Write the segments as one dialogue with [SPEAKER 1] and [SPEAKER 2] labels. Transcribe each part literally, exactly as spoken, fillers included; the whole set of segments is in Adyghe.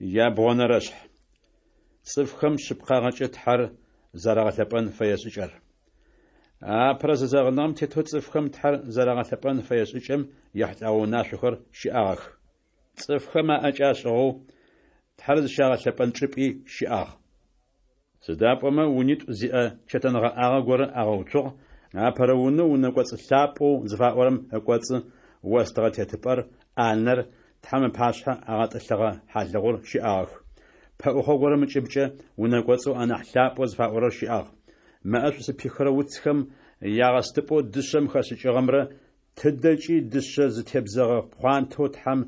[SPEAKER 1] Ябгъонэрэшъхь. Цӏыфхэм шъыпкъагъэкӏэ Тхьэр зэрагъэлъэпӏэн фэе шӏыкӏэр. Апэрэ зэзэгъыныгъэм тетэу цӏыфхэм Тхьэр зэрагъэлъэпӏэн фэе шӏыкӏэм ехьылӏэгъэ унашъохэр щыӏагъэх. Цӏыфхэм аӏэкӏэ ашӏыгъэу, Тхьэр зыщагъэлъэпӏэн чӏыпӏи щыӏагъ. Сыда пӏомэ унитӏу зиӏэ чэтэнгъэӏагъэ горэ агъэуцугъ: апэрэ унэу унэкӏоцӏ лъапӏэу зыфаӏорэм ыкӏоцӏы остыгъэ тетыпӏэр, ӏанэр, Тхьэм ыпашъхьэ агъэтӏылъыгъэ хьалыгъур щыӏагъэх. Пэӏухъо горэм ыкӏыбкӏэ унэкӏоцӏэу анахь лъапӏэу зыфаӏорэр щыӏагъ. Мэӏэшӏу зыпихырэ уцхэм ягъэстыпӏэу дышъэм хэшӏыкӏыгъэмрэ тыдэкӏи дышъэ зытебзэгъэ пхъуантэу Тхьэм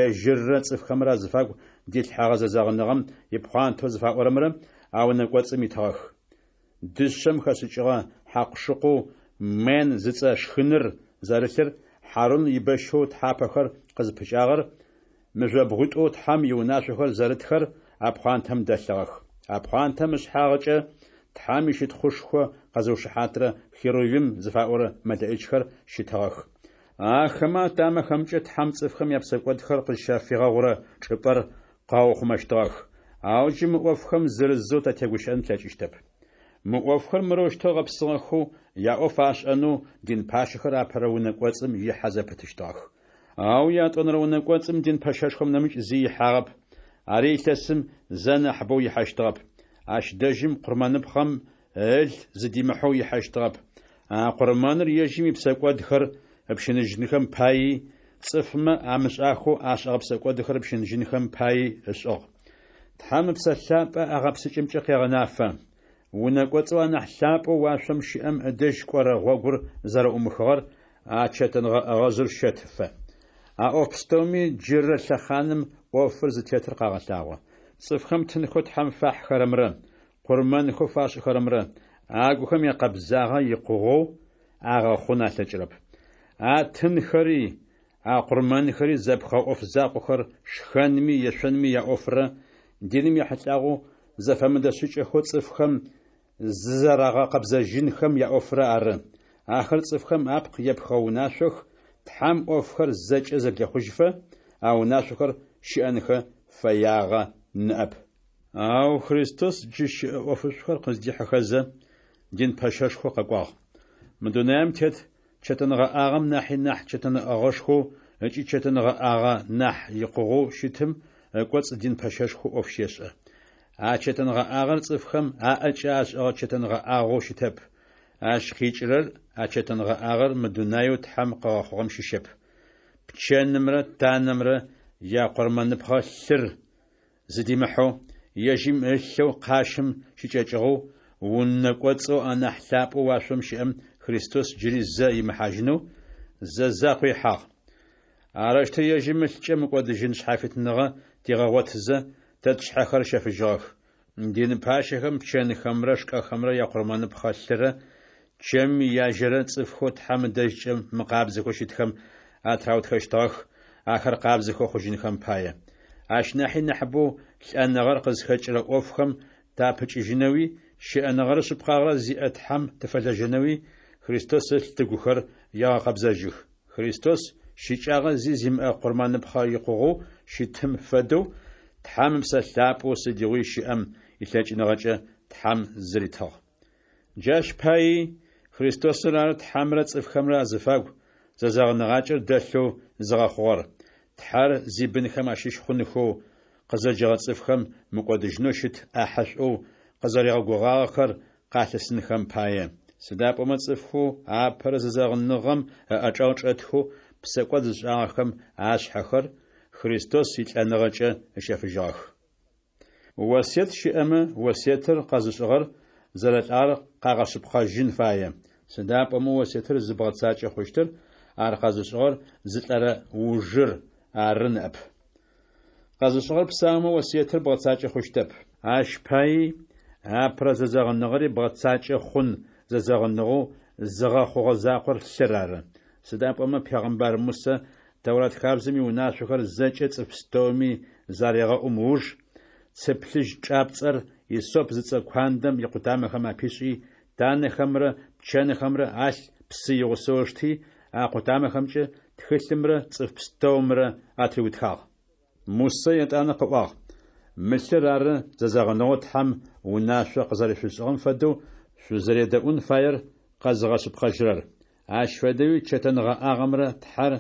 [SPEAKER 1] ежьыррэ цӏыфхэмрэ азыфагу дилъхьэгъэ зэзэгъыныгъэм ипхъуантэу зыфаӏорэмрэ а унэ кӏоцӏым итыгъэх. Дышъэм хэшӏыкӏыгъэ хьакъу-шыкъоу мэнн зыцӏэ шхыныр зэрылъыр, Хьарун ибэщэу тхьапэхэр къызпыкӏагъэр, мыжъобгъуитӏоу Тхьэм иунашъохэр зэрытхэр а пхъуантэм дэлъыгъэх. А пхъуантэм ышъхьагъкӏэ Тхьэм ищытхъушхо къэзыушыхьатырэ херувим зыфаӏорэ мэлэӏичхэр щытыгъэх. Ахэмэ атамэхэмкӏэ Тхьэм цӏыфхэм япсэкӏодхэр къызщафигъэгъурэ чӏыпӏэр къаухъумэщтыгъэх. Ау джы мы ӏофхэм зырызэу татегущыӏэн тлъэкӏыщтэп. Мы ӏофхэр мырэущтэу гъэпсыгъэхэу яӏоф ашӏэнэу дин пащэхэр апэрэ унэ кӏоцӏым ихьэ зэпытыщтыгъэх. Ау ятӏонэрэ унэ кӏоцӏым дин пэщэшхом нэмыкӏ зи ихьагъэп, ари илъэсым зэ нахьыбэу ихьэщтыгъэп. Ащ дэжьым къурмэныпхъэм ыл зыдимыхьэу ихьэщтыгъэп. А къурмэныр ежьым ипсэкӏодхэр ыпщыныжьынхэм паий, цӏыфмэ амышӏахэу ашӏэгъэ псэкӏодхэр ыпщыныжьынхэм паий ышӏыгъ. Тхьэм Ыпсэ Лъапӏэ а гъэпсыкӏэмкӏэ къегъэнафэ: унэ кӏоцӏэу анахь лъапӏэу уашъом щыӏэм ыдэжь кӏорэ гъогур зэрэӏумыхыгъэр а чэтэнгъэӏэгъэжъыр щэтыфэ. А ӏоф пстэуми джырэ лъэхъаным ӏофыр зытетыр къагъэлъагъо. Цӏыфхэм тынхэу Тхьэм фахьхэрэмрэ къурмэнхэу фашӏыхэрэмрэ агухэм якъэбзагъэ икъугъэу агъэхъун алъэкӏырэп. А тынхэри, а къурмэнхэри зэпхыгъэ ӏоф закъохэр шхэнми ешъонми яӏофрэ, диным ехьылӏагъэу зэфэмыдэ шӏыкӏэхэу цӏыфхэм зызэрагъэкъэбзэжьынхэм яӏофрэ ары. Ахэр цӏыфхэм апкъ епхыгъэ унашъох, Тхьэм ӏофхэр зэкӏэ зэблехъужьыфэ, а унашъохэр щыӏэнхэ фэягъэ ныӏэп. Ау Христос джы щыӏэ ӏофышӏухэр къыздихьыхэзэ, дин пэщэшхоу къэкӏуагъ. Мы дунаем тет чэтэнгъэӏагъэм нахьи нахь чэтэнгъэӏэгъэшхоу ыкӏи чэтэнгъэӏагъэ нахь икъугъэу щытым ыкӏоцӏ дин пэщэшхоу ӏоф щешӏэ. А чэтэнгъэӏагъэр цӏыфхэм аӏэкӏэ ашӏыгъэ чэтэнгъэӏагъэу щытэп. Ащ къикӏырэр а чэтэнгъэӏагъэр мы дунаеу Тхьэм къыгъэхъугъэм щыщэп. Пчэнымрэ танэмрэ якъурмэныпхъэ лъыр зыдимыхьэу, ежьым ылъэу къащым щыкӏэкӏыгъэу, унэ кӏоцӏэу анахь лъапӏэу уашъом щыӏэм Христос джыри зэ имыхьажьынэу, зэ закъо ихьагъ. Арэущтэу ежьым ылъкӏэ мыкӏодыжьын шъхьафитныгъэ тигъэгъотызэ, тэ тшъхьэхэр ыщэфыжьыгъэх. Дин пащэхэм пчэнхэмрэ шкӏэхэмрэ якъурмэныпхъэ лъырэ чэмым ияжьэрэ цӏыфхэу Тхьэм ыдэжькӏэ мыкъабзэхэу щытхэм атыраутхэщтыгъэх, ахэр къабзэхэу хъужьынхэм пае. Ащ нахьи нахьыбэу лӏэныгъэр къызхэкӏырэ ӏофхэм тапыкӏыжьынэуи, щыӏэныгъэрэ шъыпкъагъэрэ зиӏэ Тхьэм тыфэлэжьэнэуи Христос ылъ тыгухэр егъэкъэбзэжьых. Христос щыкӏагъэ зи зимыӏэ къурмэныпхъэ икъугъэу щытым фэдэу, Тхьэм Ыпсэ Лъапӏэу сыдигъуи щыӏэм илъэкӏыныгъэкӏэ Тхьэм зыритыгъ. Джащ паий Христосыр ары Тхьэмрэ цӏыфхэмрэ азыфагу зэзэгъыныгъакӏэр дэлъэу зыгъэхъугъэр, Тхьэр зибынхэм ащыщ хъунхэу къызэджэгъэ цӏыфхэм мыкӏодыжьынэу щыт ӏахьэшӏоу къызэригъэгугъагъэхэр къалъысынхэм пае. Сыда пӏомэ цӏыфхэу апэрэ зэзэгъыныгъэм ыӏэчӏэгъ чӏэтхэу псэкӏод зышӏагъэхэм ашъхьэхэр Христос илӏэныгъэкӏэ ыщэфыжьыгъэх. Осыет щыӏэмэ, осыетыр къэзышӏыгъэр зэрэлӏагъэр къагъэшъыпкъэжьын фае. Сыда пӏомэ осыетыр зыбгъэцакӏэ хъущтыр ар къэзышӏыгъэр зылӏэрэ ужыр ары ныӏэп. Къэзышӏыгъэр псаумэ осыетыр бгъэцакӏэ хъущтэп. Ащ паий апэрэ зэзэгъыныгъэри бгъэцакӏэ хъун зэзэгъыныгъэу зыгъэхъугъэ закъор лъыр ары. Сыда пӏомэ пегъымбар Мусэ Тэурат хабзэм иунашъохэр зэкӏэ цӏыф пстэуми зарегъэӏум ыуж, цы плъыжь чӏапцӏэр иссоп зыцӏэ куандэм икъутамэхэм апишӏи, танэхэмрэ пчэнхэмрэ алъ псы игъусэу ышти, а къутамэхэмкӏэ тхылъымрэ цӏыф пстэумрэ атыриутхагъ. Мусэ етӏанэ къыӏуагъ: Мы лъыр ары зэзэгъыныгъэу Тхьэм унашъо къызэрэшъуфишӏыгъэм фэдэу шъузэредэӏун фаер къэзыгъэшъыпкъэжьырэр. Ащ фэдэуи чэтэнгъэӏагъэмрэ Тхьэр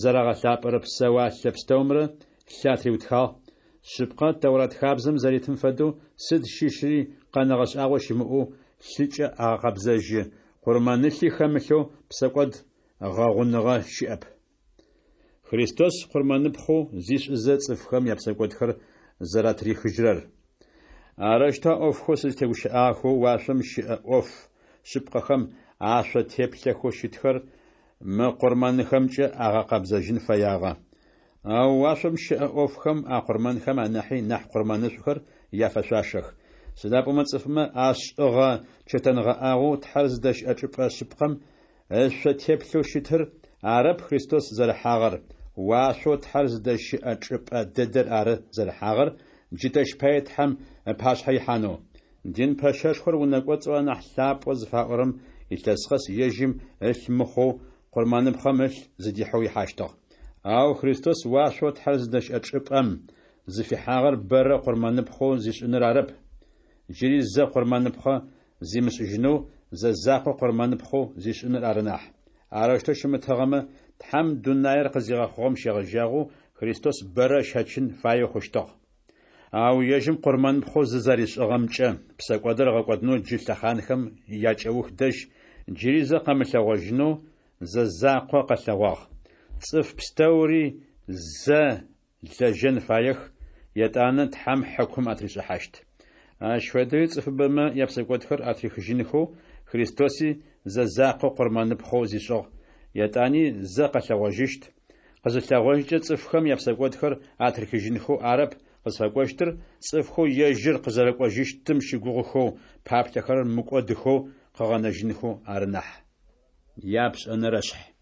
[SPEAKER 1] зэрагъэлъапӏэрэ псэуалъэ пстэумрэ лъы атыриутхагъ. Шъыпкъэ, Тэурат хабзэм зэритым фэдэу, сыд щыщри къэнэгъэ шӏагъо щымыӏэу лъыкӏэ агъэкъэбзэжьы, къурмэнылъи хэмылъэу псэкӏод гъэгъуныгъэ щыӏэп. Христос къурмэныпхъэу зишӏызэ, цӏыфхэм япсэкӏодхэр зэратырихыжьырэр. Арэущтэу а ӏофхэу сызтегущыӏагъэхэу уашъом щыӏэ ӏоф шъыпкъэхэм ашъо теплъэхэу щытхэр мы къурмэнхэмкӏэ агъэкъэбзэжьын фэягъэ. Ау уашъом щыӏэ ӏофхэм а къурмэнхэм анахьи нахь къурмэнышӏухэр яфэшъуашэх. Сыда пӏомэ цӏыфмэ ашӏыгъэ чэтэнгъэӏагъэу Тхьэр зыдэщыӏэ чӏыпӏэ шъыпкъэм ышъо теплъэу щытыр арэп Христос зэрыхьагъэр, уашъоу Тхьэр зыдэщыӏэ чӏыпӏэ дэдэр ары зэрыхьагъэр, джы тэщ пае Тхьэм ыпашъхьэ ихьанэу. Дин пэщэшхор унэ кӏоцӏэу анахь лъапӏэу зыфаӏорэм илъэс къэс ежьым ылъ мыхъоу, къурмэныпхъэм ылъ зыдихьэу ихьащтыгъ. Ау Христос уашъоу Тхьэр зыдэщыӏэ чӏыпӏэм зыфихьагъэр бэрэ къурмэныпхъэу зишӏыныр арэп, джыри зэ къурмэныпхъэ зимышӏыжьынэу зэ закъо къурмэныпхъэу зишӏыныр ары нахь. Арэущтэу щымытыгъэмэ, Тхьэм дунаер къызигъэхъугъэм щегъэжьагъэу Христос бэрэ ыщэчын фаеу хъущтыгъ. Ау ежьым къурмэныпхъэу зызэришӏыгъэмкӏэ псэкӏодыр ыгъэкӏодынэу джы лъэхъанхэм якӏэух дэжь джыри зэ къэмылъэгъожьынэу зэ закъо къэлъэгъуагъ. Цӏыф пстэури зэ лэжьэн фаех, етӏанэ Тхьэм хьыкум атришӏыхьащт. Ащ фэдэуи цӏыфыбэмэ япсэкӏодхэр атрихыжьынхэу Христоси зэ закъо къурмэныпхъэу зишӏыгъ, етӏани зэ къэлъэгъожьыщт. Къызылъэгъожькӏэ цӏыфхэм япсэкӏодхэр атрихыжьынхэу арэп къызфэкӏощтыр, цӏыфхэу ежьыр къызэрэкӏожьыщтым щыгугъыхэу паплъэхэрэр мыкӏодыхэу къыгъэнэжьынхэу ары нахь. Япшӏэнэрэшъхь.